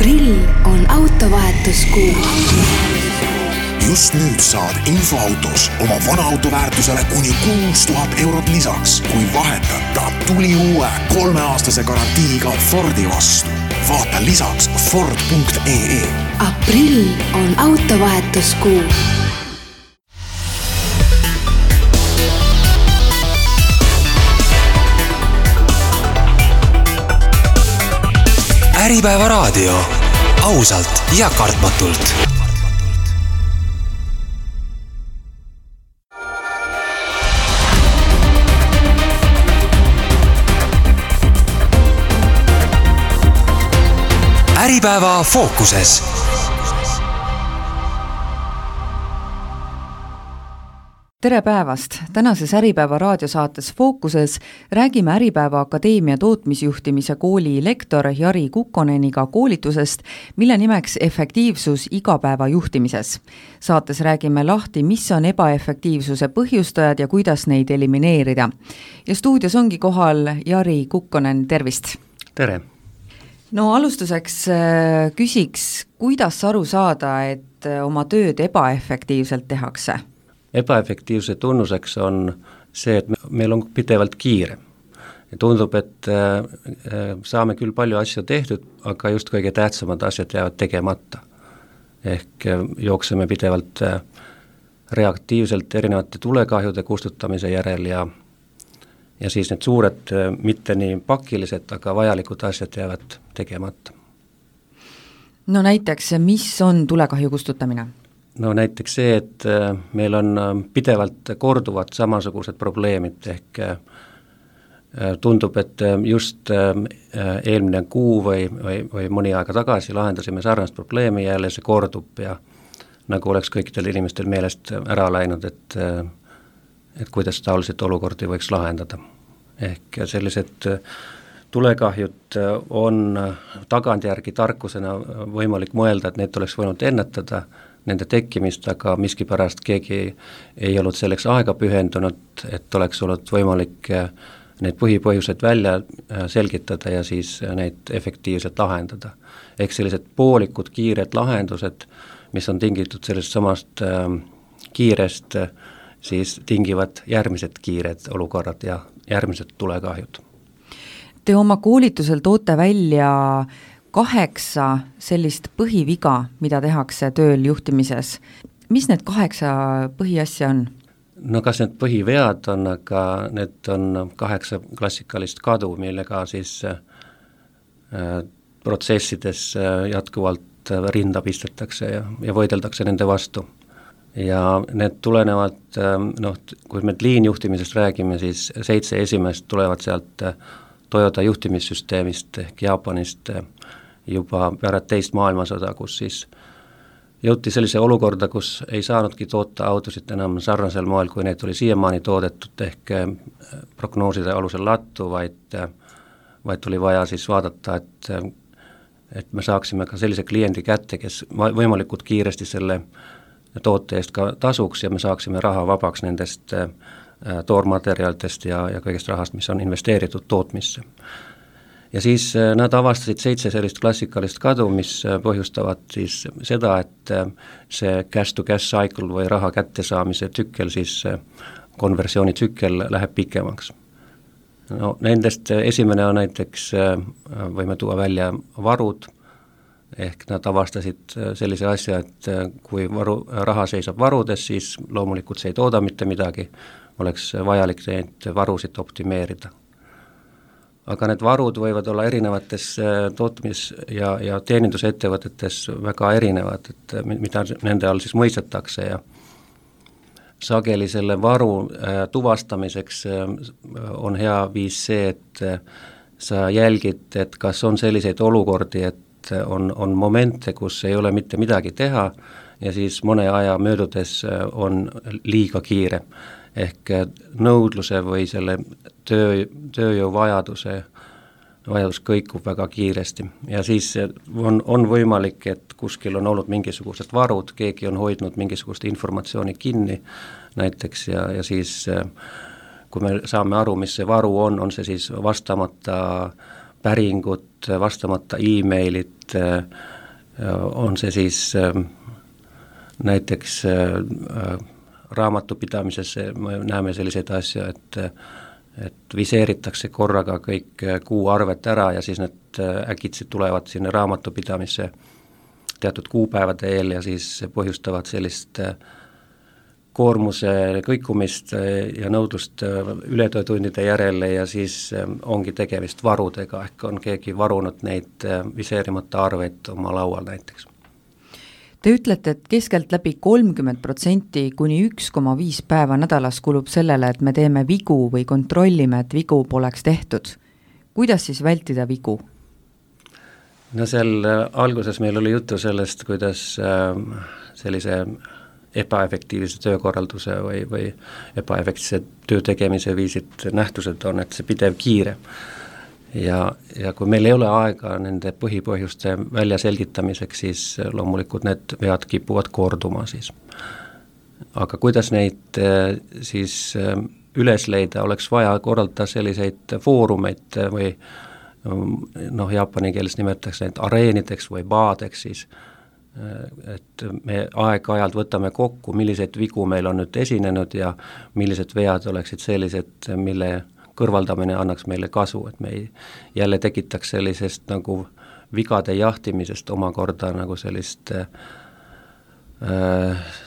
Aprill on autovahetuskuu. Just nüüd saad infoautos oma vana auto väärtusele kuni 6000 eurot lisaks, kui vahetad ta tuli uue 3-aastase garantiiga Fordi vastu. Vaata lisaks Ford.ee. Aprill on autovahetuskuu. Äripäeva raadio. Ausalt ja kartmatult. Äripäeva fookuses. Tere päevast! Tänases Äripäeva raadiosaates Fookuses räägime Äripäeva Akadeemia tootmisjuhtimise kooli lektor Jari Kukkoneniga koolitusest, mille nimeks efektiivsus igapäeva juhtimises. Saates räägime lahti, mis on ebaefektiivsuse põhjustajad ja kuidas neid elimineerida. Ja stuudios ongi kohal Jari Kukkonen, tervist! Tere! No alustuseks küsiks, kuidas aru saada, et oma tööd ebaefektiivselt tehakse? Ebaefektiivse tunnuseks on see, et meil on pidevalt kiire. Ja tundub, et saame küll palju asju tehtud, aga just kõige tähtsamad asjad jäävad tegemata. Ehk jookseme pidevalt reaktiivselt erinevate tulekahjude kustutamise järel ja siis need suured, mitte nii pakilised, aga vajalikud asjad jäävad tegemata. No näiteks, mis on tulekahju kustutamine? No näiteks see, et meil on pidevalt korduvad samasugused probleemid, ehk tundub, et just eelmine kuu või mõni aega tagasi lahendasime sarnast probleemi ja jälle see kordub ja nagu oleks kõikidel inimestel meelest ära läinud, et kuidas taoliselt olukordi võiks lahendada. Ehk sellised tulekahjud on tagantjärgi tarkusena võimalik mõelda, et need oleks võinud ennetada nende tekkimist, aga miskipärast keegi ei olnud selleks aega pühendunud, et oleks olnud võimalik need põhipõhjused välja selgitada ja siis neid efektiivselt lahendada. Ehk sellised poolikud kiired lahendused, mis on tingitud sellest samast kiirest, siis tingivad järgmised kiired olukorrad ja järgmised tulekahjud. Te oma koolitusel toote välja 8 sellist põhiviga, mida tehakse tööl juhtimises. Mis need 8 põhiasja on? No kas need põhivead on, aga need on 8 klassikalist kadu, millega siis protsessides jätkuvalt rinda pistetakse ja võideldakse nende vastu. Ja need tulenevad, kui me liinjuhtimisest räägime, siis 7 esimest tulevad sealt Toyota juhtimissüsteemist ehk Jaapanist juba pärast teist maailmasõda, kus siis jõuti sellise olukorda, kus ei saanudki toota autosid enam sarnasel moel, kui need oli siiamaani toodetud, ehk prognooside alusel lattu, vaid tuli vaja siis vaadata, et me saaksime ka sellise kliendi kätte, kes võimalikult kiiresti selle toote eest ka tasuks ja me saaksime raha vabaks nendest toormaterjalidest ja kõigest rahast, mis on investeeritud tootmisse. Ja siis nad avastasid 7 sellist klassikalist kadu, mis põhjustavad siis seda, et see cash-to-cash cycle või raha kättesaamise tsükkel, siis konversioonitsükkel läheb pikemaks. No, nendest esimene on näiteks, võime tuua välja varud, ehk nad avastasid sellise asja, et kui raha seisab varudes, siis loomulikult see ei tooda mitte midagi, oleks vajalik neid varusid optimeerida. Aga need varud võivad olla erinevates tootmis- ja teenindusettevõtetes väga erinevad, et mida nende all siis mõistetakse ja sageli selle varu tuvastamiseks on hea viis see, et sa jälgid, et kas on selliseid olukordi, et on momente, kus ei ole mitte midagi teha ja siis mõne aja möödudes on liiga kiire. Ehk nõudluse või selle tööjõu vajadus kõikub väga kiiresti ja siis on võimalik, et kuskil on olnud mingisugused varud, keegi on hoidnud mingisugust informatsiooni kinni näiteks ja siis kui me saame aru, mis see varu on see siis vastamata päringud, vastamata emailid, on see siis näiteks raamatupidamises me näeme selliseid asju, et viseeritakse korraga kõik kuuarved ära ja siis need äkitselt tulevad sinna raamatupidamisse teatud kuupäevade eel ja siis põhjustavad sellist koormuse kõikumist ja nõudlust ületöötundide järele ja siis ongi tegemist varudega, ehk on keegi varunud neid viseerimata arveid oma laual näiteks. Te ütlete, et keskeltläbi 30% kuni 1,5 päeva nädalas kulub sellele, et me teeme vigu või kontrollime, et vigu poleks tehtud. Kuidas siis vältida vigu? No seal alguses meil oli juttu sellest, kuidas sellise ebaefektiivse töökorralduse või ebaefektiivse töö tegemise viisid nähtused on, et see pidev kiire. Ja kui meil ei ole aega nende põhipõhjuste välja selgitamiseks, siis loomulikult need vead kipuvad korduma siis. Aga kuidas neid siis üles leida, oleks vaja korraldada selliseid foorumeid või jaapani keeles nimetatakse neid areenideks või baadeks siis, et me aeg-ajalt võtame kokku, milliseid vigu meil on nüüd esinenud ja millised vead oleksid sellised, mille kõrvaldamine annaks meile kasu, et me ei jälle tekitaks sellisest nagu vigade jahtimisest omakorda nagu sellist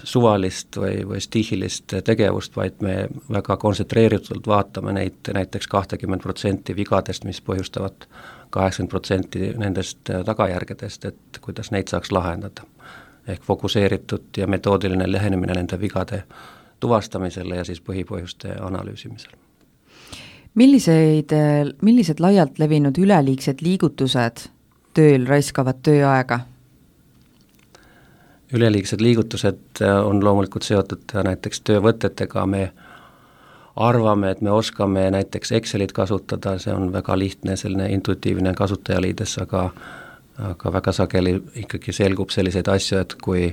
suvalist või stihilist tegevust, vaid me väga kontsentreeritult vaatame neid näiteks 20% vigadest, mis põhjustavad 80% nendest tagajärgedest, et kuidas neid saaks lahendada. Ehk fokuseeritud ja metoodiline lähenemine nende vigade tuvastamisele ja siis põhipõhjuste analüüsimisele. Millised laialt levinud üleliigsed liigutused tööl raiskavad tööaega? Üleliigsed liigutused on loomulikult seotud näiteks töövõtetega, me arvame, et me oskame näiteks Excelit kasutada, see on väga lihtne, selline intuitiivne kasutajaliides, aga väga sageli ikkagi selgub selliseid asju, et kui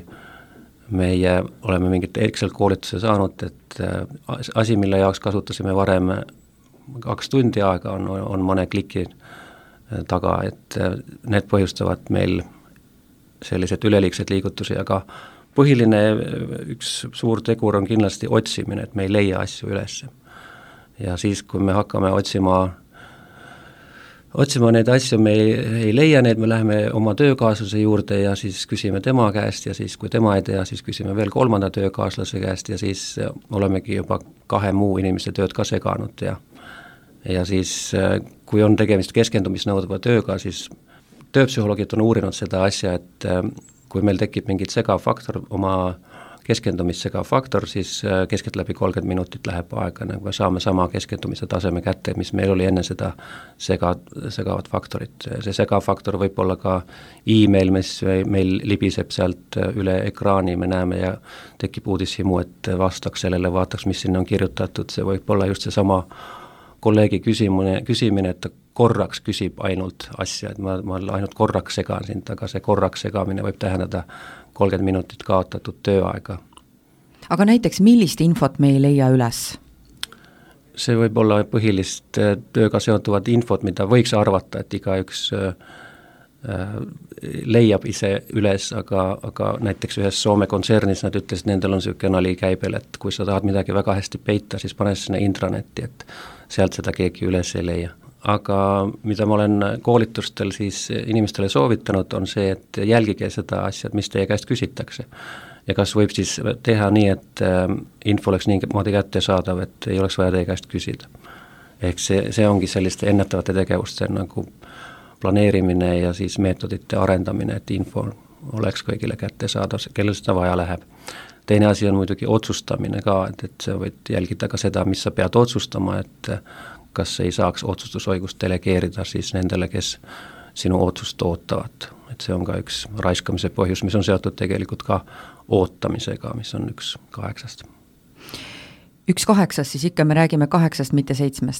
meie oleme mingit Excel-koolituse saanud, et asi, mille jaoks kasutasime varem 2 tundi aega, on mõne kliki taga, et need põhjustavad meil sellised üleliigsed liigutusi, aga põhiline üks suur tegur on kindlasti otsimine, et me ei leia asju üles. Ja siis, kui me hakkame otsima neid asju, me ei leia neid, me läheme oma töökaaslase juurde ja siis küsime tema käest ja siis, kui tema ei tea, siis küsime veel 3. töökaaslase käest ja siis olemegi juba 2 muu inimeste tööd ka seganud ja siis, kui on tegemist keskendumisnõudva tööga, siis tööpsühholoogid on uurinud seda asja, et kui meil tekib mingit segav faktor, oma keskendumist segav faktor, siis keskeltläbi 30 minutit läheb aega, nagu me saame sama keskendumise taseme kätte, mis meil oli enne seda segavat faktorit. See segav faktor võib olla ka e-mail, mis meil libiseb sealt üle ekraani, me näeme ja tekib uudishimu, et vastaks sellele, vaataks, mis sinna on kirjutatud, see võib olla just see sama kolleegi küsimine, et ta korraks küsib ainult asja, et ma ainult korraks segan sind, aga see korraks segamine võib tähendada 30 minutit kaotatud tööaega. Aga näiteks millist infot me ei leia üles? See võib olla põhilist tööga seonduvat infot, mida võiks arvata, et igaüks leiab ise üles, aga näiteks ühes Soome kontsernis nad ütlesid, nendel on selline nali käibel, et kui sa tahad midagi väga hästi peita, siis pane sinna intranetti, et sealt seda keegi üles ei leia. Aga mida ma olen koolitustel siis inimestele soovitanud, on see, et jälgige seda asja, mis teie käest küsitakse. Ja kas võib siis teha nii, et info oleks niimoodi kättesaadav, et ei oleks vaja teie käest küsida. Ehk see ongi selliste ennetavate tegevuste nagu planeerimine ja siis meetodite arendamine, et info oleks kõigile kättesaadav, kellel seda vaja läheb. Teine asi on muidugi otsustamine ka, et sa võid jälgida ka seda, mis sa pead otsustama, et kas ei saaks otsustusõigust delegeerida siis nendele, kes sinu otsust ootavad. Et see on ka üks raiskamise põhjus, mis on seotud tegelikult ka ootamisega, mis on 1/8. 1/8, siis ikka me räägime 8, mitte 7.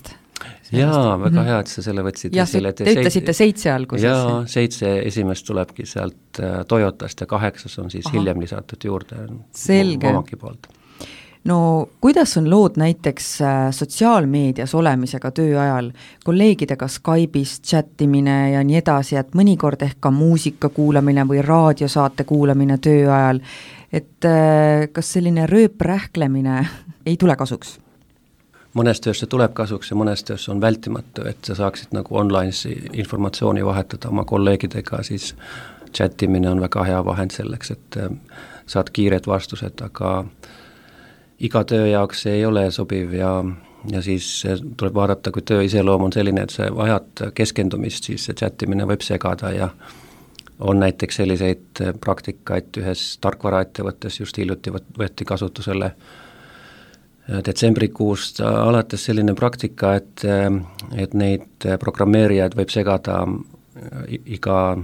Jaa, väga hea, et sa selle võtsid. Ja te ütlesite 7 alguses. Jaa, 7 esimest tulebki sealt Toyotast ja 8 on siis hiljem lisatud juurde. Selge. Omaki poolt. no kuidas on lood näiteks sotsiaalmeedias olemisega töö ajal, kolleegidega Skype'is chattimine ja nii edasi, et mõnikord ehk ka muusika kuulamine või raadiosaate kuulamine töö ajal, et kas selline rööprähklemine ei tule kasuks? Mõnes töös see tuleb kasuks ja mõnes töös on vältimatu, et sa saaksid nagu online'is informatsiooni vahetada oma kolleegidega, siis chattimine on väga hea vahend selleks, et saad kiired vastused, aga iga töö jaoks ei ole sobiv ja siis tuleb vaadata, kui töö iseloom on selline, et sa vajad keskendumist, siis see chattimine võib segada ja on näiteks selliseid praktikaid ühes tarkvaraettevõttes just hiljuti võeti kasutusele detsembrikuust alates selline praktika, et neid programmeerijaid võib segada iga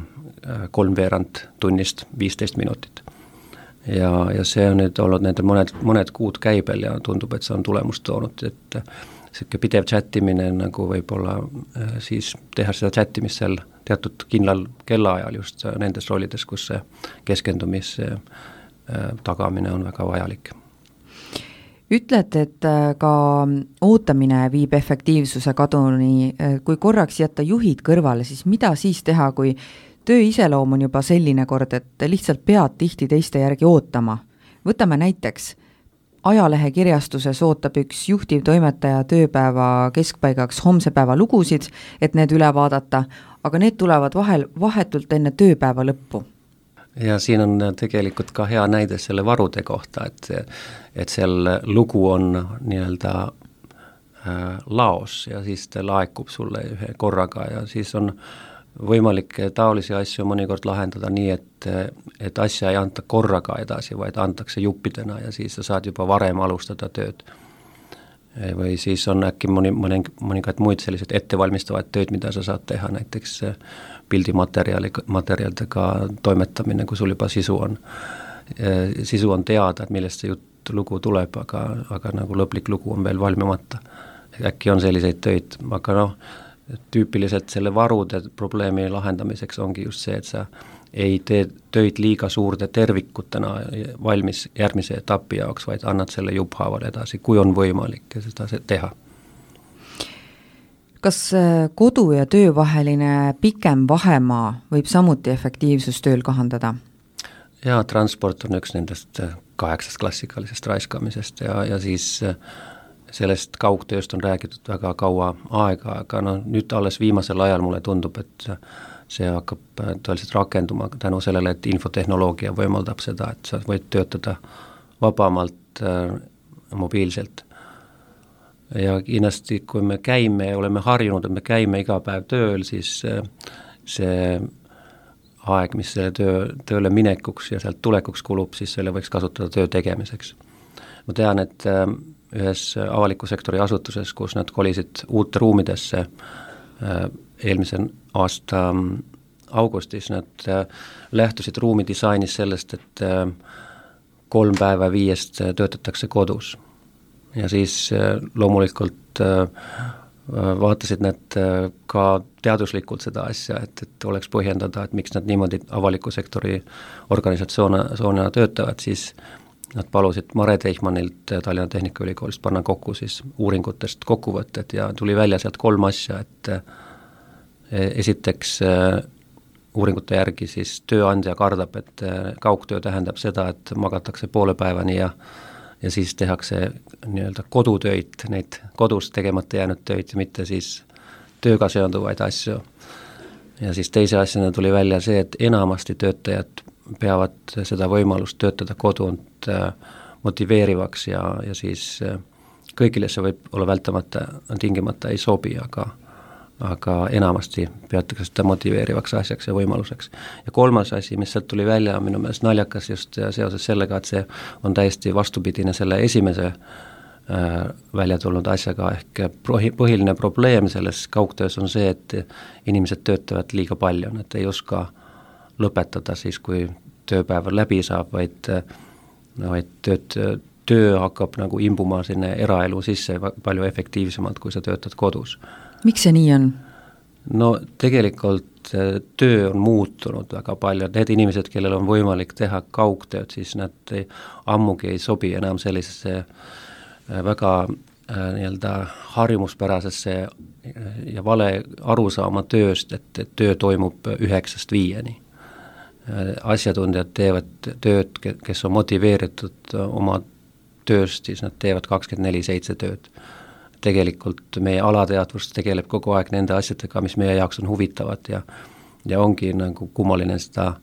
3/4 tunnist 15 minutit. Ja see on nüüd olnud nende mõned kuud käibel ja tundub, et see on tulemust toonud, et selline pidev chattimine nagu võib-olla siis teha seda chattimist seal teatud kindlal kellaajal just nendes rollides, kus see keskendumise tagamine on väga vajalik. Ütled, et ka ootamine viib efektiivsuse kaduni, kui korraks jätta juhid kõrvale, siis mida siis teha, kui töö iseloom on juba selline kord, et lihtsalt pead tihti teiste järgi ootama? Võtame näiteks, ajalehekirjastuses ootab üks juhtivtoimetaja tööpäeva keskpaigaks homse päeva lugusid, et need üle vaadata, aga need tulevad vahetult enne tööpäeva lõppu. Ja siin on tegelikult ka hea näide selle varude kohta, et seal lugu on nii-öelda laos ja siis ta laekub sulle ühe korraga ja siis on võimalik taolisi asju mõnikord lahendada nii, et asja ei anta korraga edasi, vaid antakse juppidena ja siis sa saad juba varem alustada tööd. Või siis on äkki mõningaid muid selliseid ettevalmistavaid tööd, mida sa saad teha, näiteks pildimaterjalidega toimetamine, kui sul juba sisu on teada, et millest see lugu tuleb, aga nagu lõplik lugu on veel valmimata. Äkki on selliseid töid, aga tüüpiliselt selle varude probleemi lahendamiseks ongi just see, et sa ei tee töid liiga suurde tervikutena valmis järgmise etapi jaoks, vaid annad selle jupphaaval edasi, kui on võimalik seda teha. Kas kodu ja töö vaheline pikem vahemaa võib samuti efektiivsust tööl kahandada? Jaa, transport on üks nendest 8 klassikalisest raiskamisest ja siis sellest kaugtööst on räägitud väga kaua aega, aga nüüd alles viimasel ajal mulle tundub, et see hakkab tõeliselt rakenduma tänu sellele, et infotehnoloogia võimaldab seda, et sa võid töötada vabamalt mobiilselt. Ja kindlasti, kui me käime ja oleme harjunud, et me käime iga päev tööl, siis see aeg, mis selle tööle minekuks ja sealt tulekuks kulub, siis selle võiks kasutada töö tegemiseks. Ma tean, et ühes avaliku sektori asutuses, kus nad kolisid uute ruumidesse eelmise aasta augustis, nad lähtusid ruumi disainis sellest, et 3 päeva 5 töötatakse kodus. Ja siis loomulikult vaatasid nad ka teaduslikult seda asja, et oleks põhjendada, et miks nad niimoodi avaliku sektori organisatsioonina töötavad, siis nad palusid Mare Teichmannilt Tallinna Tehnikaülikoolist panna kokku siis uuringutest kokkuvõtted ja tuli välja sealt 3 asja, et esiteks uuringute järgi siis tööandja kardab, et kaugtöö tähendab seda, et magatakse poole päevani ja siis tehakse nii-öelda kodutöid, neid kodus tegemata jäänud töid, mitte siis tööga seonduvaid asju. Ja siis teise asjana tuli välja see, et enamasti töötajad peavad seda võimalust töötada kodunt motiveerivaks ja siis kõigile see võib olla vältamata, tingimata ei sobi, aga enamasti peatakse seda motiveerivaks asjaks ja võimaluseks. Ja 3. asi, mis sealt tuli välja, on minu meelest naljakas just seoses sellega, et see on täiesti vastupidine selle esimese välja tulnud asjaga, ehk põhiline probleem selles kaugtöös on see, et inimesed töötavad liiga palju, nad ei oska lõpetada siis, kui tööpäev läbi saab, vaid töö hakkab nagu imbuma sinna eraelu sisse palju efektiivsemalt, kui sa töötad kodus. Miks see nii on? No tegelikult töö on muutunud väga palju, et need inimesed, kellel on võimalik teha kaugtööd, siis nad ammugi ei sobi enam sellisesse väga nii-öelda harjumuspärasesse ja vale arusaama tööst, et töö toimub 9–5. Asjatundjad teevad tööd, kes on motiveeritud oma tööst, siis nad teevad 24/7 tööd. Tegelikult meie alateadvus tegeleb kogu aeg nende asjadega, mis meie jaoks on huvitavad ja ongi nagu kummaline seda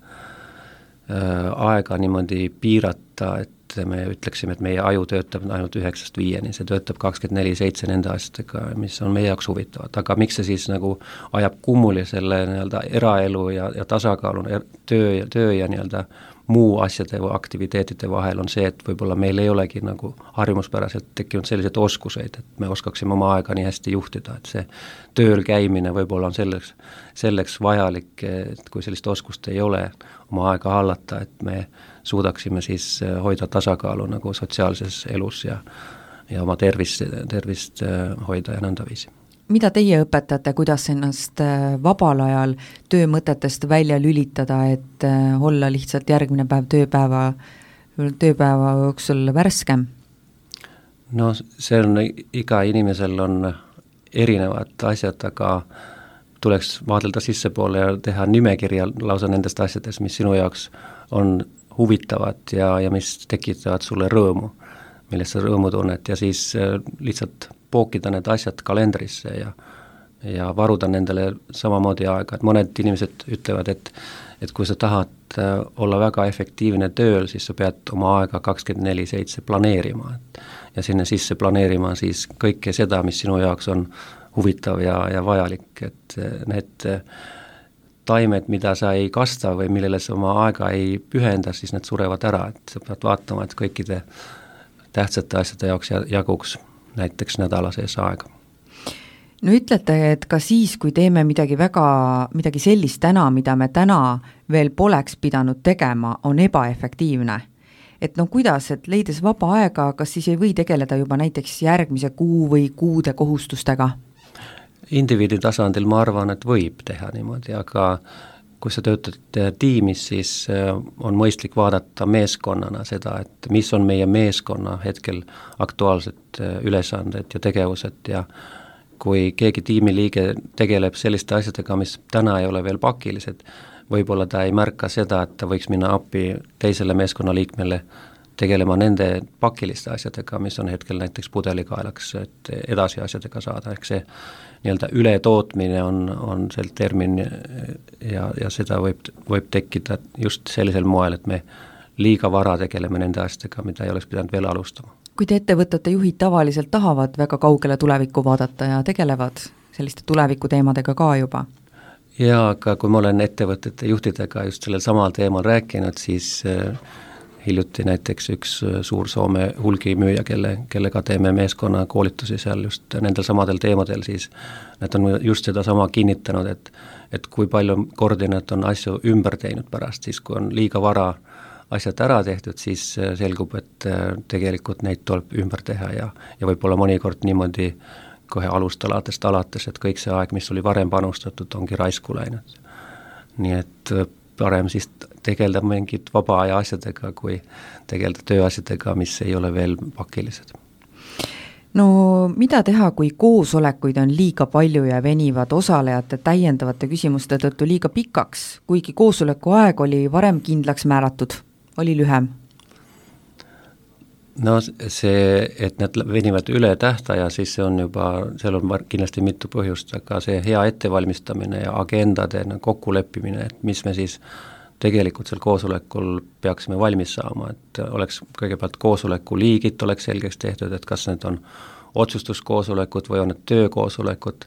aega niimoodi piirata, et me ütleksime, et meie aju töötab ainult 9–5, see töötab 24/7 nende asjadega, mis on meie jaoks huvitavad, aga miks see siis nagu ajab kummuli selle nii-öelda eraelu ja tasakaalu töö ja nii-öelda muu asjade või aktiviteetide vahel on see, et võib-olla meil ei olegi nagu harjumuspäraselt tekkinud selliseid oskuseid, et me oskaksime oma aega nii hästi juhtida, et see tööl käimine võib-olla on selleks vajalik, et kui sellist oskust ei ole, oma aega hallata, et me suudaksime siis hoida tasakaalu nagu sotsiaalses elus ja oma tervist hoida ja nõndaviisi. Mida teie õpetate, kuidas ennast vabal ajal töömõtetest välja lülitada, et olla lihtsalt järgmine päev tööpäeva jooksul värskem? No see on, iga inimesel on erinevad asjad, aga tuleks vaadelda sissepoole ja teha nimekirja lausa nendest asjadest, mis sinu jaoks on huvitavad ja mis tekitavad sulle rõõmu, millest sa rõõmu tunnet ja siis lihtsalt pookida need asjad kalendrisse ja varuda nendele samamoodi aega, et mõned inimesed ütlevad, et kui sa tahad olla väga efektiivne tööl, siis sa pead oma aega 24/7 planeerima ja sinna sisse planeerima siis kõike seda, mis sinu jaoks on huvitav ja vajalik, et need taimed, mida sa ei kasta või millele sa oma aega ei pühenda, siis need surevad ära, et sa pead vaatama, et kõikide tähtsate asjade jaoks jaguks näiteks nädala sees aega. No ütlete, et ka siis, kui teeme midagi sellist täna, mida me täna veel poleks pidanud tegema, on ebaefektiivne. Et no kuidas, et leides vaba aega, kas siis ei või tegeleda juba näiteks järgmise kuu või kuude kohustustega? Indiviidi tasandil ma arvan, et võib teha niimoodi, aga kui sa töötad tiimis, siis on mõistlik vaadata meeskonnana seda, et mis on meie meeskonna hetkel aktuaalsed ülesanded ja tegevused ja kui keegi tiimiliige tegeleb selliste asjadega, mis täna ei ole veel pakilised, võib-olla ta ei märka seda, et ta võiks minna appi teisele meeskonnaliikmele tegelema nende pakiliste asjadega, mis on hetkel näiteks pudelikaelaks, et edasi asjadega saada, ehk see nii-öelda ületootmine on sel termin ja seda võib tekkida just sellisel moel, et me liiga vara tegeleme nende asjadega, mida ei oleks pidanud veel alustama. Kuid ettevõtete juhid tavaliselt tahavad väga kaugele tulevikku vaadata ja tegelevad selliste tulevikuteemadega ka juba? Jaa, aga kui ma olen ettevõtete juhtidega just sellel samal teemal rääkinud, siis hiljuti näiteks üks suur Soome hulgimüüja, kellega teeme meeskonna koolitusi seal just nendel samadel teemadel, siis nad on just seda sama kinnitanud, et kui palju kordi nad on asju ümber teinud pärast, siis kui on liiga vara asjad ära tehtud, siis selgub, et tegelikult neid tuleb ümber teha ja võib-olla mõnikord niimoodi kohe alustalatest alates, et kõik see aeg, mis oli varem panustatud, ongi raisku läinud. Nii et parem siis tegelda mingid vaba aja asjadega, kui tegelda tööasjadega, mis ei ole veel pakilised. No mida teha, kui koosolekuid on liiga palju ja venivad osalejate täiendavate küsimuste tõttu liiga pikaks, kuigi koosoleku aeg oli varem kindlaks määratud, oli lühem? No see, et need venivad üle tähtaja, siis see on juba, seal on kindlasti mitu põhjust, aga see hea ettevalmistamine ja agendade kokkuleppimine, et mis me siis tegelikult seal koosolekul peaksime valmis saama, et oleks kõigepealt koosoleku liigid oleks selgeks tehtud, et kas need on otsustuskoosolekud või on need töökoosolekud,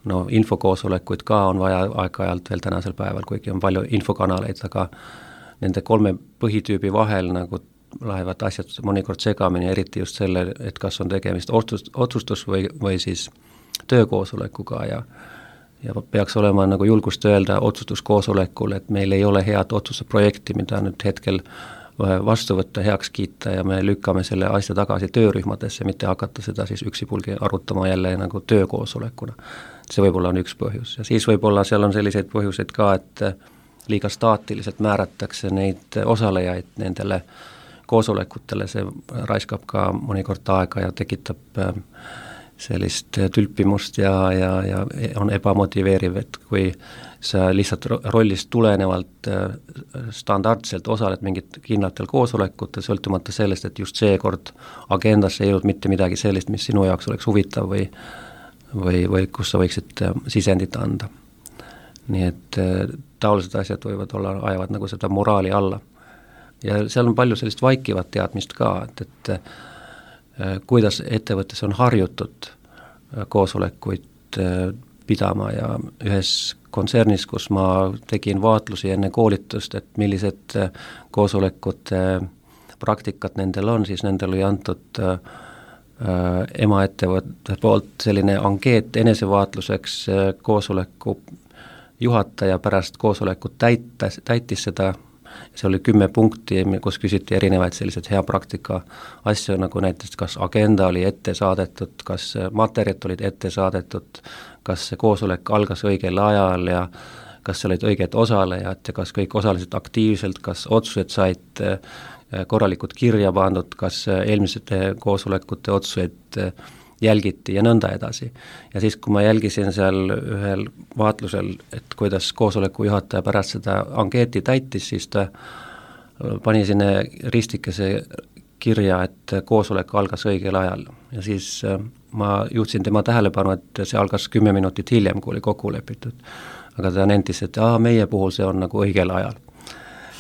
no infokoosolekuid ka on vaja aeg-ajalt veel tänasel päeval, kuigi on palju infokanaleid, aga nende 3 põhitüübi vahel nagu lähevad asjad mõnikord segamini, eriti just selle, et kas on tegemist otsustus või siis töökoosolekuga ja peaks olema nagu julgust öelda otsustuskoosolekul, et meil ei ole head otsustusprojekti, mida nüüd hetkel vastu võtta, heaks kiita ja me lükkame selle asja tagasi töörühmadesse, mitte hakata seda siis üksipulgi arutama jälle nagu töökoosolekuna. see võib-olla on üks põhjus ja siis võib-olla seal on selliseid põhjuseid ka, et liiga staatiliselt määratakse neid osalejaid nendele koosolekutele, see raiskab ka mõnikord aega ja tekitab sellist tülpimust ja on ebamotiveeriv, et kui sa lihtsalt rollist tulenevalt standardselt osaled mingit kindlatel koosolekutel, sõltumata sellest, et just seekord agendasse ei jõudnud mitte midagi sellist, mis sinu jaoks oleks huvitav või kus sa võiksid sisendit anda. Nii et taolised asjad võivad olla, ajavad nagu seda moraali alla. Ja seal on palju sellist vaikivat teadmist ka, et kuidas ettevõttes on harjutud koosolekuid pidama ja ühes kontsernis, kus ma tegin vaatlusi enne koolitust, et millised koosolekute praktikat nendel on, siis nendel oli antud emaettevõtte poolt selline ankeet enesevaatluseks, koosoleku juhataja pärast koosolekut täitis seda. See oli 10 punkti, kus küsiti erinevaid sellised hea praktika asju, nagu näiteks kas agenda oli ette saadetud, kas materjalid olid ette saadetud, kas see koosolek algas õigel ajal ja kas olid õiged osalejad ja kas kõik osalesid aktiivselt, kas otsused said korralikult kirja pandud, kas eelmisete koosolekute otsuseid jälgiti ja nõnda edasi. Ja siis, kui ma jälgisin seal ühel vaatlusel, et kuidas koosoleku juhataja pärast seda ankeeti täitis, siis ta pani sinne ristikese kirja, et koosolek algas õigel ajal. Ja siis ma juhtisin tema tähelepanu, et see algas 10 minutit hiljem, kui oli kokku lepitud. Aga ta nentis, et meie puhul see on nagu õigel ajal.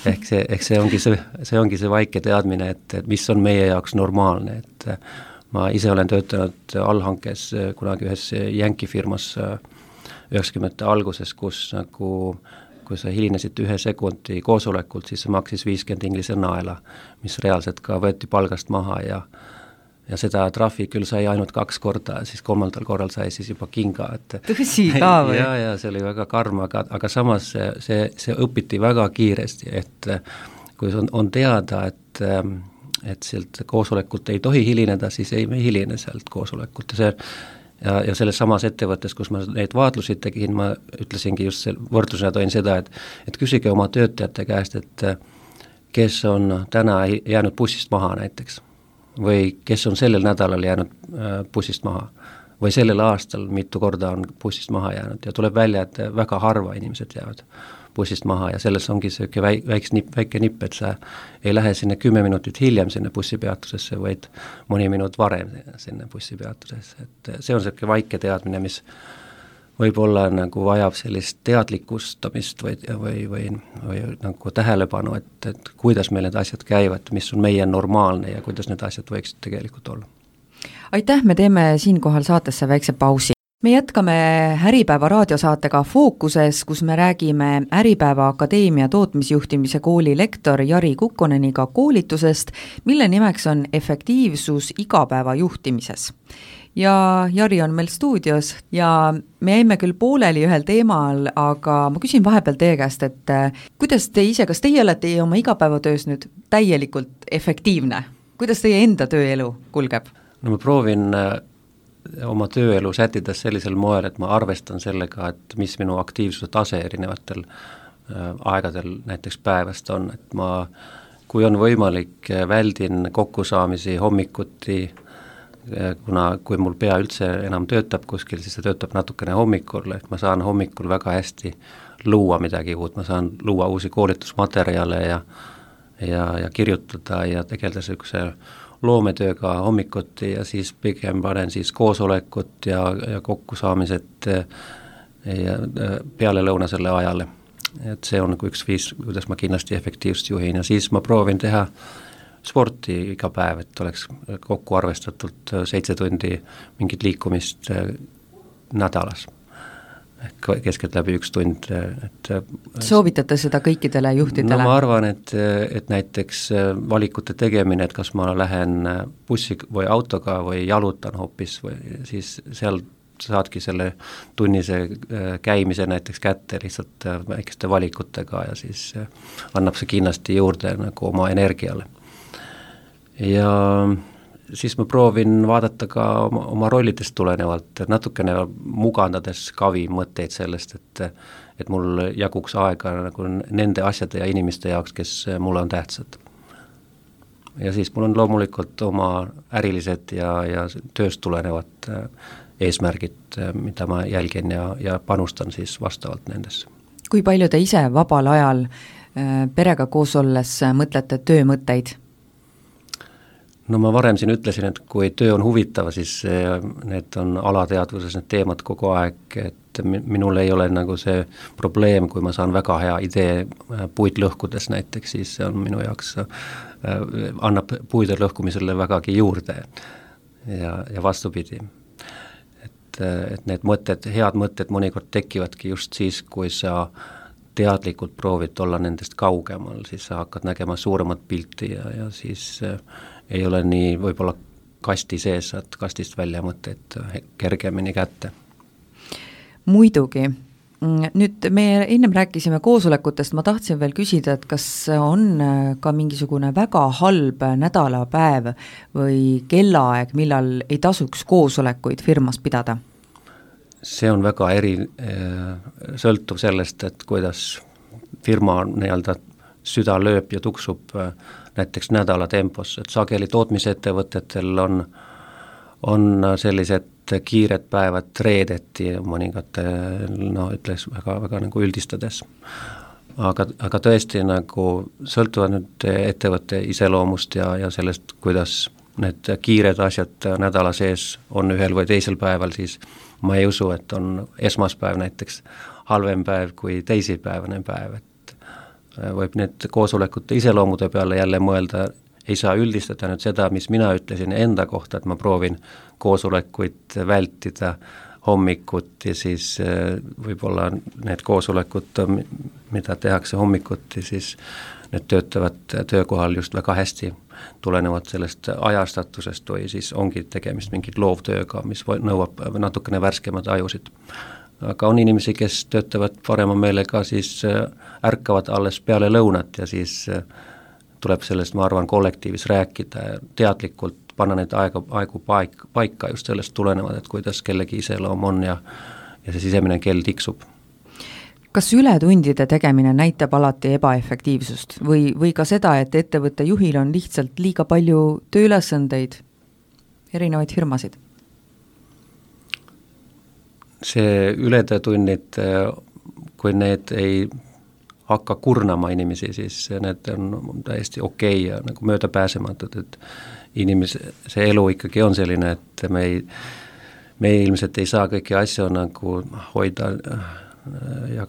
Ehk see ongi see vaike teadmine, et mis on meie jaoks normaalne, et ma ise olen töötanud allhankes kunagi ühes Yankee firmas 90. alguses, kus nagu, kui sa hilinesid 1 sekundi koosolekult, siis see maksis 50 inglise naela, mis reaalselt ka võeti palgast maha ja seda trahvi küll sai ainult 2 korda, siis 3. korral sai siis juba kinga. Tõsi ka või? Ja see oli väga karm, aga samas see õpiti väga kiiresti, et kui on teada, et sealt koosolekult ei tohi hilineda, siis ei me hiline sealt koosolekult ja selles samas ettevõttes, kus ma neid vaatlusid tegin, ma ütlesingi just võrdlusena toin seda, et küsige oma töötajate käest, et kes on täna jäänud bussist maha näiteks või kes on sellel nädalal jäänud bussist maha või sellel aastal mitu korda on bussist maha jäänud ja tuleb välja, et väga harva inimesed jäävad bussist maha ja selles ongi see väike nipp, et sa ei lähe sinna 10 minutit hiljem sinna bussipeatusesse, vaid mõni minut varem sinna bussipeatusesse. Et see on selline vaike teadmine, mis võib-olla nagu vajab sellist teadlikustamist või nagu tähelepanu, et kuidas meil need asjad käivad, mis on meie normaalne ja kuidas need asjad võiksid tegelikult olla. Aitäh, me teeme siinkohal saatesse väikse pausi. Me jätkame Äripäeva raadiosaatega Fookuses, kus me räägime Äripäeva Akadeemia tootmisjuhtimise kooli lektor Jari Kukkoneniga koolitusest, mille nimeks on efektiivsus igapäeva juhtimises. Ja Jari on meil stuudios ja me jäime küll pooleli ühel teemal, aga ma küsin vahepeal teie käest, et kuidas te ise, kas teie olete oma igapäevatöös nüüd täielikult efektiivne? Kuidas teie enda tööelu kulgeb? No ma proovin oma tööelu sätides sellisel moel, et ma arvestan sellega, et mis minu aktiivsuse tase erinevatel aegadel näiteks päevast on, et ma, kui on võimalik, väldin kokkusaamisi hommikuti, kui mul pea üldse enam töötab kuskil, siis see töötab natukene hommikul, et ma saan hommikul väga hästi luua midagi uut, ma saan luua uusi koolitusmaterjale ja kirjutada ja tegeleda sellise loometööga hommikuti ja siis pigem panen siis koosolekut ja kokkusaamised ja pealelõunasele ajale. Et see on nagu üks viis, kuidas ma kindlasti efektiivselt juhin ja siis ma proovin teha sporti iga päev, et oleks kokku arvestatult 7 tundi mingit liikumist nädalas. Keskelt läbi 1 tund. Soovitate seda kõikidele juhtidele? No ma arvan, et näiteks valikute tegemine, et kas ma lähen bussi või autoga või jalutan hoopis või siis seal saadki selle tunnise käimise näiteks kätte lihtsalt väikeste valikutega ja siis annab see kindlasti juurde nagu oma energiale. Ja siis ma proovin vaadata ka oma rollidest tulenevalt, natukene mugandades kavi mõtteid sellest, et mul jaguks aega nagu nende asjade ja inimeste jaoks, kes mulle on tähtsad. Ja siis mul on loomulikult oma ärilised ja tööst tulenevad eesmärgid, mida ma jälgin ja panustan siis vastavalt nendesse. Kui palju te ise vabal ajal perega koos olles mõtlete töömõtteid? No ma varem siin ütlesin, et kui töö on huvitav, siis need on alateadvuses need teemad kogu aeg, et minul ei ole nagu see probleem, kui ma saan väga hea idee puid lõhkudes näiteks, siis see on minu jaoks, annab puide lõhkumisele vägagi juurde ja vastupidi. Et need mõtted, head mõtted mõnikord tekivadki just siis, kui sa teadlikult proovid olla nendest kaugemal, siis sa hakkad nägema suuremat pilti ja siis ei ole nii võib-olla kasti sees, saad kastist välja mõtteid kergemini kätte. Muidugi. Nüüd me ennem rääkisime koosolekutest, ma tahtsin veel küsida, et kas on ka mingisugune väga halb nädalapäev või kellaaeg, millal ei tasuks koosolekuid firmas pidada? See on väga sõltuv sellest, et kuidas firma nii-öelda süda lööb ja tuksub näiteks nädala tempos, et sageli tootmisettevõtetel on sellised kiired päevad reedeti mõningate, ütleks väga nagu üldistades. Aga tõesti nagu sõltuvad nüüd ettevõtte iseloomust ja sellest, kuidas need kiired asjad nädala sees on ühel või teisel päeval, siis ma ei usu, et on esmaspäev näiteks halvem päev kui teisipäevane päev, et võib need koosolekute iseloomude peale jälle mõelda, ei saa üldistada nüüd seda, mis mina ütlesin enda kohta, et ma proovin koosolekuid vältida hommikuti, siis võib-olla need koosolekud, mida tehakse hommikuti, siis need töötavad töökohal just väga hästi, tulenevad sellest ajastatusest või siis ongi tegemist mingit loovtööga, mis nõuab natukene värskemad ajusid. Aga on inimesi, kes töötavad parema meelega, siis ärkavad alles peale lõunat ja siis tuleb sellest, ma arvan, kollektiivis rääkida ja teadlikult panna need aegu paika just sellest tulenevad, et kuidas kellegi iseloom on ja see sisemine kell tiksub. Kas ületundide tegemine näitab alati ebaefektiivsust või ka seda, et ettevõtte juhil on lihtsalt liiga palju tööülesandeid, erinevaid firmasid? See ületunnid, kui need ei hakka kurnama inimesi, siis need on täiesti okei ja nagu möödapääsematud, et see elu ikkagi on selline, et me ilmselt ei saa kõiki asju nagu hoida ja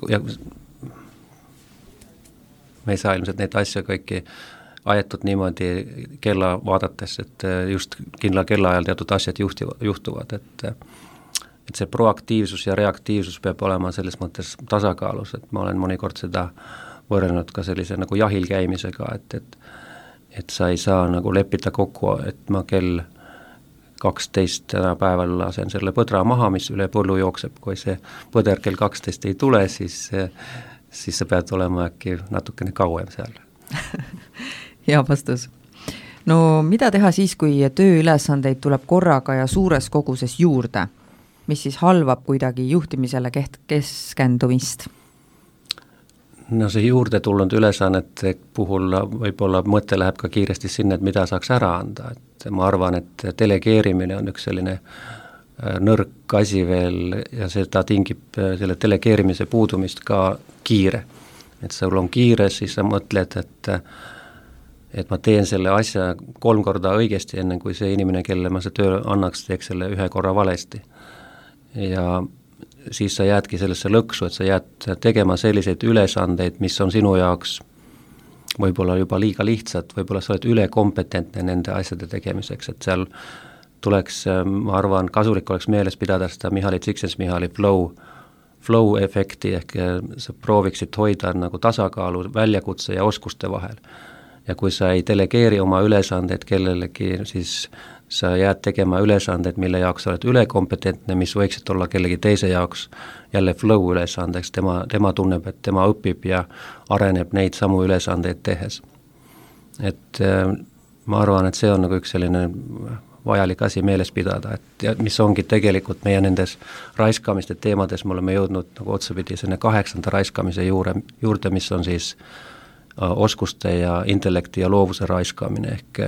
me ei saa ilmselt neid asju kõiki ajetud niimoodi kella vaadates, et just kindla kellaajal teatud asjad juhtuvad, et see proaktiivsus ja reaktiivsus peab olema selles mõttes tasakaalus, et ma olen mõnikord seda võrrenud ka sellise nagu jahil käimisega, et sa ei saa nagu leppida kokku, et ma kell 12 täna päeval lasen selle põdra maha, mis üle põllu jookseb, kui see põder kell 12 ei tule, siis sa pead olema äkki natukene kauem seal. Hea vastus. No mida teha siis, kui tööülesandeid tuleb korraga ja suures koguses juurde, mis siis halvab kuidagi juhtimisele keskendumist? No see juurde tulnud ülesannete puhul võib-olla mõte läheb ka kiiresti sinna, et mida saaks ära anda, et ma arvan, et delegeerimine on üks selline nõrk asi veel ja seda tingib selle delegeerimise puudumist ka kiire. Et sul on kiire, siis sa mõtled, et ma teen selle asja 3 korda õigesti, enne kui see inimene, kelle ma see töö annaks, teeks selle 1 korra valesti. Ja siis sa jäädki sellesse lõksu, et sa jääd tegema selliseid ülesandeid, mis on sinu jaoks võib-olla juba liiga lihtsad, võib-olla sa oled ülekompetentne nende asjade tegemiseks, et seal tuleks, ma arvan, kasulik oleks meeles pidada seda Mihaly Csikszentmihalyi flow efekti, ehk sa prooviksid hoida nagu tasakaalu väljakutse ja oskuste vahel. Ja kui sa ei delegeeri oma ülesandeid kellelegi, siis sa jääd tegema ülesandeid, mille jaoks sa oled ülekompetentne, mis võiksid olla kellegi teise jaoks jälle flow ülesandeks, tema tunneb, et tema õpib ja areneb neid samu ülesandeid tehes. Et ma arvan, et see on nagu üks selline vajalik asi meeles pidada, et ja mis ongi tegelikult meie nendes raiskamiste teemades, me oleme jõudnud nagu otsapidi selle 8. raiskamise juurde, mis on siis oskuste ja intellekti ja loovuse raiskamine, ehk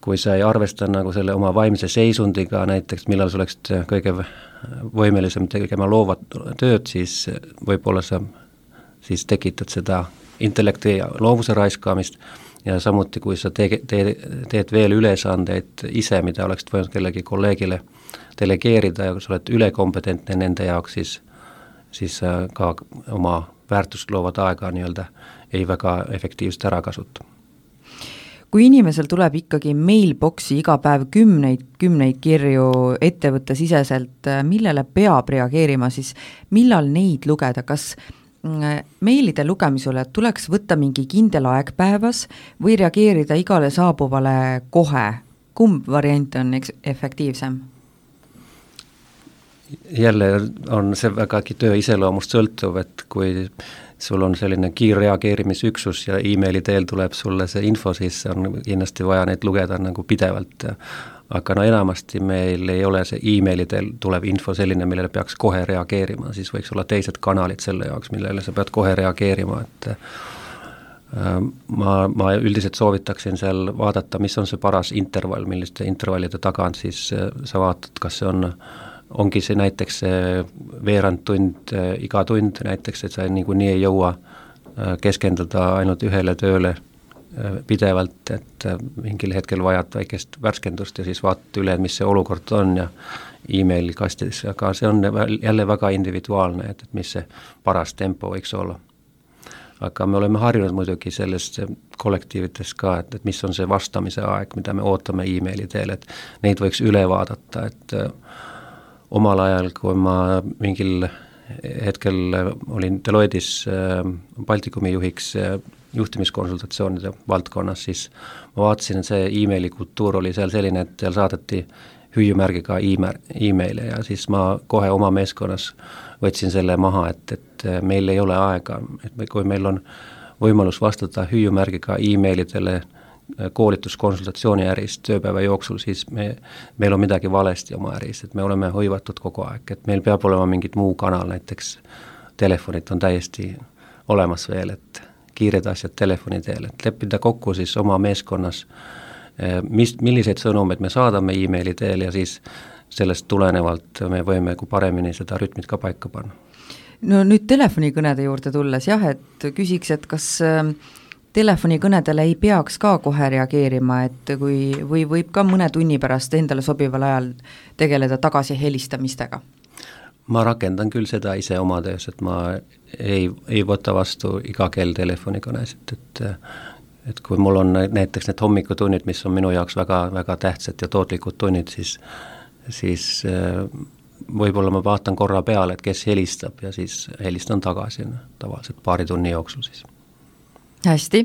kui sa ei arvesta nagu selle oma vaimse seisundiga, näiteks millal sa oleksid kõige võimelisem tegema loovat tööd, siis võib-olla sa siis tekitad seda intellekti ja loovuse raiskamist ja samuti, kui sa teed veel ülesandeid ise, mida oleksid võinud kellegi kolleegile delegeerida ja kui sa oled ülekompetentne nende jaoks, siis ka oma väärtust loovat aega nii-öelda ei väga efektiivselt ära kasuta. Kui inimesel tuleb ikkagi mailboxi iga päev kümneid kirju ettevõttesiseselt, millele peab reageerima, siis millal neid lugeda, kas meilide lugemisele tuleks võtta mingi kindel aeg päevas või reageerida igale saabuvale kohe? Kumb variant on efektiivsem? Jälle on see vägagi töö iseloomust sõltuv, et kui sul on selline kiirreageerimisüksus ja emaili teel tuleb sulle see info, siis on kindlasti vaja neid lugeda nagu pidevalt. Aga enamasti meil ei ole see emaili teel tuleb info selline, millele peaks kohe reageerima, siis võiks olla teised kanalid selle jaoks, millele sa pead kohe reageerima, et ma üldiselt soovitaksin seal vaadata, mis on see paras intervall, milliste intervallide tagant siis sa vaatad, kas see ongi see näiteks veerand tund, iga tund näiteks, et sa niikuinii ei jõua keskenduda ainult ühele tööle pidevalt, et mingil hetkel vajad väikest värskendust ja siis vaatad üle, mis see olukord on ja emaili kastis, aga see on jälle väga individuaalne, et mis see paras tempo võiks olla. Aga me oleme harjunud muidugi sellest kollektiivites ka, et mis on see vastamise aeg, mida me ootame emaili teel, et neid võiks üle vaadata, et omal ajal, kui ma mingil hetkel olin Deloittes Baltikumi juhiks juhtimiskonsultatsioonide valdkonnas, siis ma vaatasin, et see emaili kultuur oli seal selline, et seal saadeti hüüumärgiga emaile ja siis ma kohe oma meeskonnas võtsin selle maha, et meil ei ole aega, et kui meil on võimalus vastata hüüumärgiga emailidele koolituskonsultatsiooni äris tööpäeva jooksul, siis meil on midagi valesti oma äris, et me oleme hõivatud kogu aeg, et meil peab olema mingit muu kanal, näiteks telefonid on täiesti olemas veel, et kiired asjad telefoni teel, et leppida kokku siis oma meeskonnas, milliseid sõnumeid me saadame emaili teel ja siis sellest tulenevalt me võime paremini seda rütmit ka paika panna. No nüüd telefonikõnede juurde tulles jah, et küsiks, et kas telefonikõnedele ei peaks ka kohe reageerima, et või võib ka mõne tunni pärast endale sobival ajal tegeleda tagasi helistamistega? Ma rakendan küll seda ise oma töös, et ma ei võta vastu iga kell telefonikõnesid, et kui mul on näiteks need hommikutunnid, mis on minu jaoks väga, väga tähtsad ja tootlikud tunnid, siis võib-olla ma vaatan korra peale, et kes helistab ja siis helistan tagasi tavaliselt paari tunni jooksul siis. Hästi.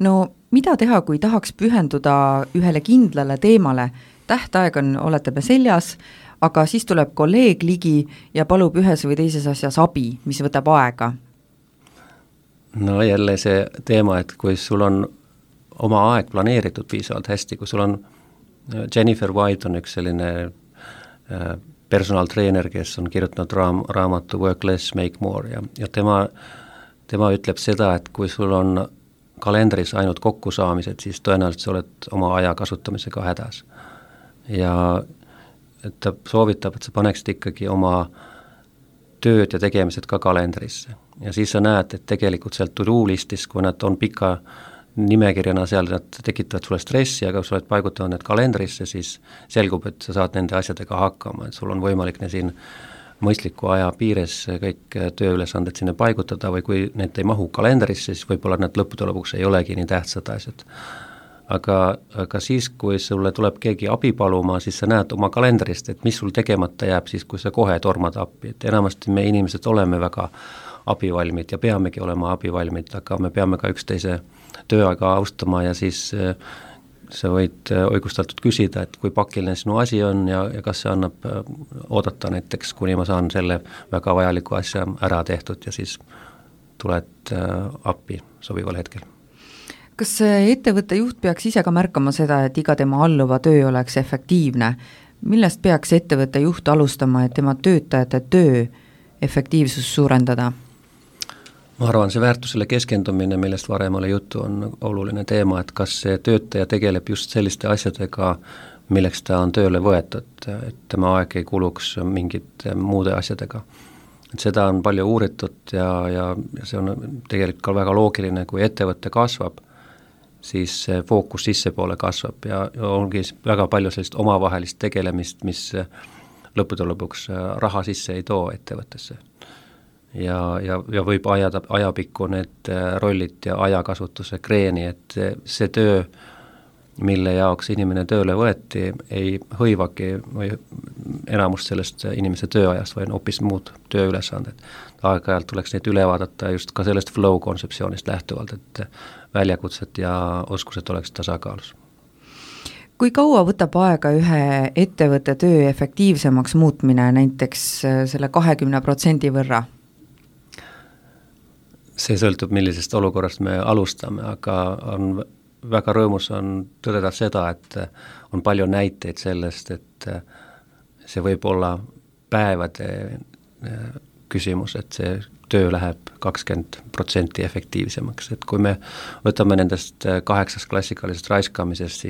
No mida teha, kui tahaks pühenduda ühele kindlale teemale? Tähtaeg olete me seljas, aga siis tuleb kolleeg ligi ja palub ühes või teises asjas abi, mis võtab aega. No jälle see teema, et kui sul on oma aeg planeeritud piisavalt hästi, kui sul on Jennifer White on üks selline personaaltreener, kes on kirjutanud raamatu Work Less, Make More ja tema ütleb seda, et kui sul on kalendris ainult kokkusaamised, siis tõenäoliselt sa oled oma aja kasutamisega hädas. Ja ta soovitab, et sa paneksid ikkagi oma tööd ja tegemised ka kalendrisse. Ja siis sa näed, et tegelikult seal to-do listis, kui nad on pika nimekirjana seal, nad tekitavad sulle stressi, aga kui sa oled paigutanud need kalendrisse, siis selgub, et sa saad nende asjadega hakkama, et sul on võimalik siin mõistliku aja piires kõik tööülesanded sinna paigutada või kui need ei mahu kalendrisse, siis võib-olla need lõppude lõpuks ei olegi nii tähtsad asjad. Aga siis, kui sulle tuleb keegi abi paluma, siis sa näed oma kalendrist, et mis sul tegemata jääb siis, kui sa kohe tormad appi. Et enamasti me inimesed oleme väga abivalmid ja peamegi olema abivalmid, aga me peame ka üksteise tööaega austama ja siis sa võid õigustatult küsida, et kui pakiline sinu asi on ja kas see annab oodata näiteks, kuni ma saan selle väga vajaliku asja ära tehtud ja siis tuled appi sobival hetkel. Kas ettevõtte juht peaks ise ka märkama seda, et iga tema alluva töö oleks efektiivne? Millest peaks ettevõtte juht alustama, et tema töötajate töö efektiivsus suurendada? Ma arvan, see väärtusele keskendumine, millest varem oli juttu, on oluline teema, et kas see töötaja tegeleb just selliste asjadega, milleks ta on tööle võetud, et tema aeg ei kuluks mingite muude asjadega. Et seda on palju uuritud ja see on tegelikult ka väga loogiline, kui ettevõtte kasvab, siis fookus sissepoole kasvab ja ongi väga palju sellist omavahelist tegelemist, mis lõppude lõpuks raha sisse ei too ettevõttesse. Ja võib ajapikku need rollid ja ajakasutuse kreeni, et see töö, mille jaoks inimene tööle võeti, ei hõivagi või enamust sellest inimese tööajast või hoopis muud tööülesanded. Aeg-ajalt tuleks neid üle vaadata just ka sellest flow kontseptsioonist lähtuvalt, et väljakutsed ja oskused oleks tasakaalus. Kui kaua võtab aega ühe ettevõtte töö efektiivsemaks muutmine näiteks selle 20% võrra? See sõltub, millisest olukorrast me alustame, aga on väga rõõmus on tõdeda seda, et on palju näiteid sellest, et see võib olla päevade küsimus, et see töö läheb 20% efektiivsemaks, et kui me võtame nendest 8 klassikalisest raiskamisest,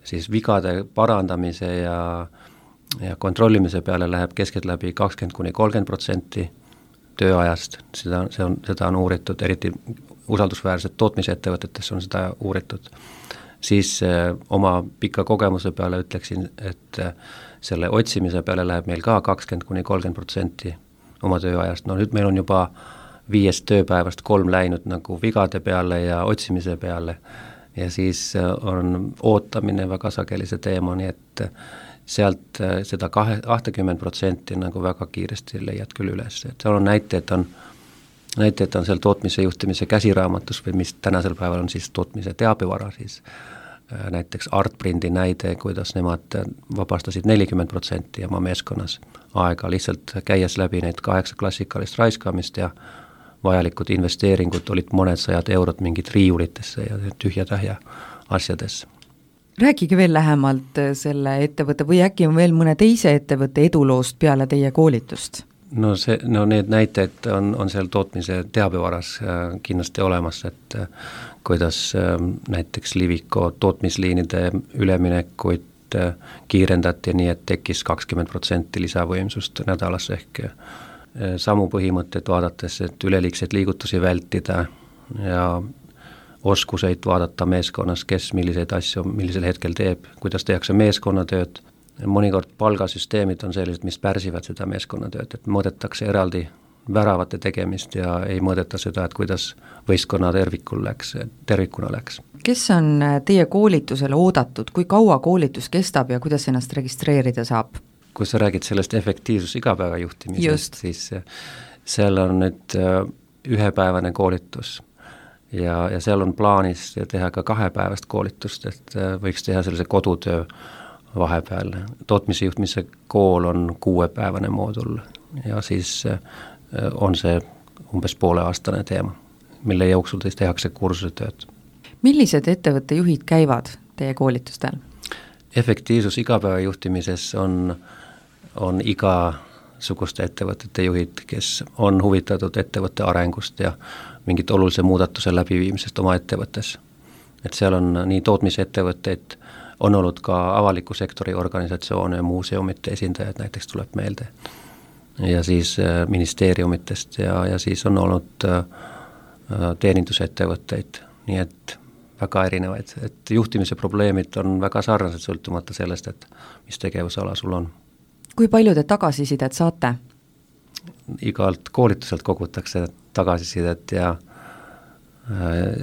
siis vigade parandamise ja kontrollimise peale läheb keskeltläbi 20–30% tööajast, seda on uuritud, eriti usaldusväärsed tootmisettevõtetes on seda uuritud, siis oma pika kogemuse peale ütleksin, et selle otsimise peale läheb meil ka 20–30% oma tööajast. No nüüd meil on juba 5 tööpäevast 3 läinud nagu vigade peale ja otsimise peale ja siis on ootamine väga sageli see teema, nii et sealt seda 20% nagu väga kiiresti leiad küll üles, et seal on näiteid on seal tootmise juhtimise käsiraamatus või mis tänasel päeval on siis tootmise teabevara, siis näiteks Artprindi näide, kuidas nemad vabastasid 40% oma meeskonnas aega lihtsalt käies läbi neid 8 klassikalist raiskamist ja vajalikud investeeringud olid mõned sajad eurod mingid riiulitesse ja tühja-tähja asjadesse. Rääkige veel lähemalt selle ettevõtte või äkki on veel mõne teise ettevõtte eduloost peale teie koolitust? No need näited on seal tootmise teabevaras kindlasti olemas, et kuidas näiteks Liviko tootmisliinide üleminekuid kiirendati nii, et tekkis 20% lisavõimsust nädalas ehk samu põhimõtted vaadates, et üleliigseid liigutusi vältida ja oskuseid vaadata meeskonnas, kes milliseid asju millisel hetkel teeb, kuidas tehakse meeskonnatööd. Mõnikord palgasüsteemid on sellised, mis pärsivad seda meeskonnatööd, et mõõdetakse eraldi väravate tegemist ja ei mõõdeta seda, et kuidas võistkonna tervikuna läks. Kes on teie koolitusele oodatud, kui kaua koolitus kestab ja kuidas ennast registreerida saab? Kui sa räägid sellest efektiivsus igapäeva juhtimisest, siis seal on nüüd ühepäevane koolitus ja seal on plaanis teha ka 2-päevast koolitust, et võiks teha sellise kodutöö vahepeal. Tootmise juhtimise kool on 6-päevane moodul ja siis on see umbes pooleaastane teema, mille jooksul siis tehakse kursusetööd. Millised ettevõtte juhid käivad teie koolitustel? Efektiivsus igapäeva juhtimises on igasuguste ettevõtete juhid, kes on huvitatud ettevõtte arengust ja mingit olulise muudatuse läbiviimisest oma ettevõttes. Et seal on nii tootmisettevõtteid, on olnud ka avaliku sektori organisatsioone ja muuseumite esindajad näiteks tuleb meelde ja siis ministeeriumitest ja siis on olnud teenindusettevõtteid, nii et väga erinevaid, et juhtimise probleemid on väga sarnased sõltumata sellest, et mis tegevusala sul on. Kui palju te tagasisidet saate? Igalt koolituselt kogutakse tagasisidet ja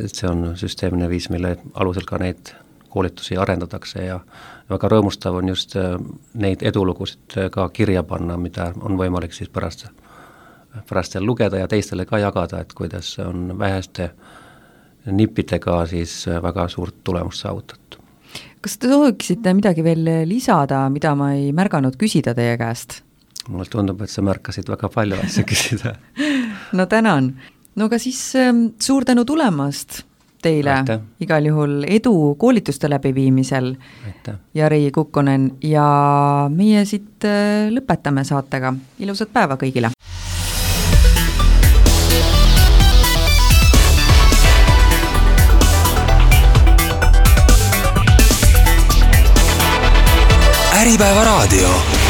see on süsteemne viis, mille alusel ka neid koolitusi arendatakse ja väga rõõmustav on just neid edulugusid ka kirja panna, mida on võimalik siis pärast lugeda ja teistele ka jagada, et kuidas on väheste nippidega siis väga suurt tulemust saavutatud. Kas te sooviksite midagi veel lisada, mida ma ei märganud küsida teie käest? Mulle tundub, et sa märkasid väga palju asja küsida. No tänan. No aga siis suur tänu tulemast teile. Aitäh. Igal juhul edu koolituste läbiviimisel. Aitäh. Jari Kukkonen ja meie siit lõpetame saatega. Ilusat päeva kõigile! Äripäeva raadio.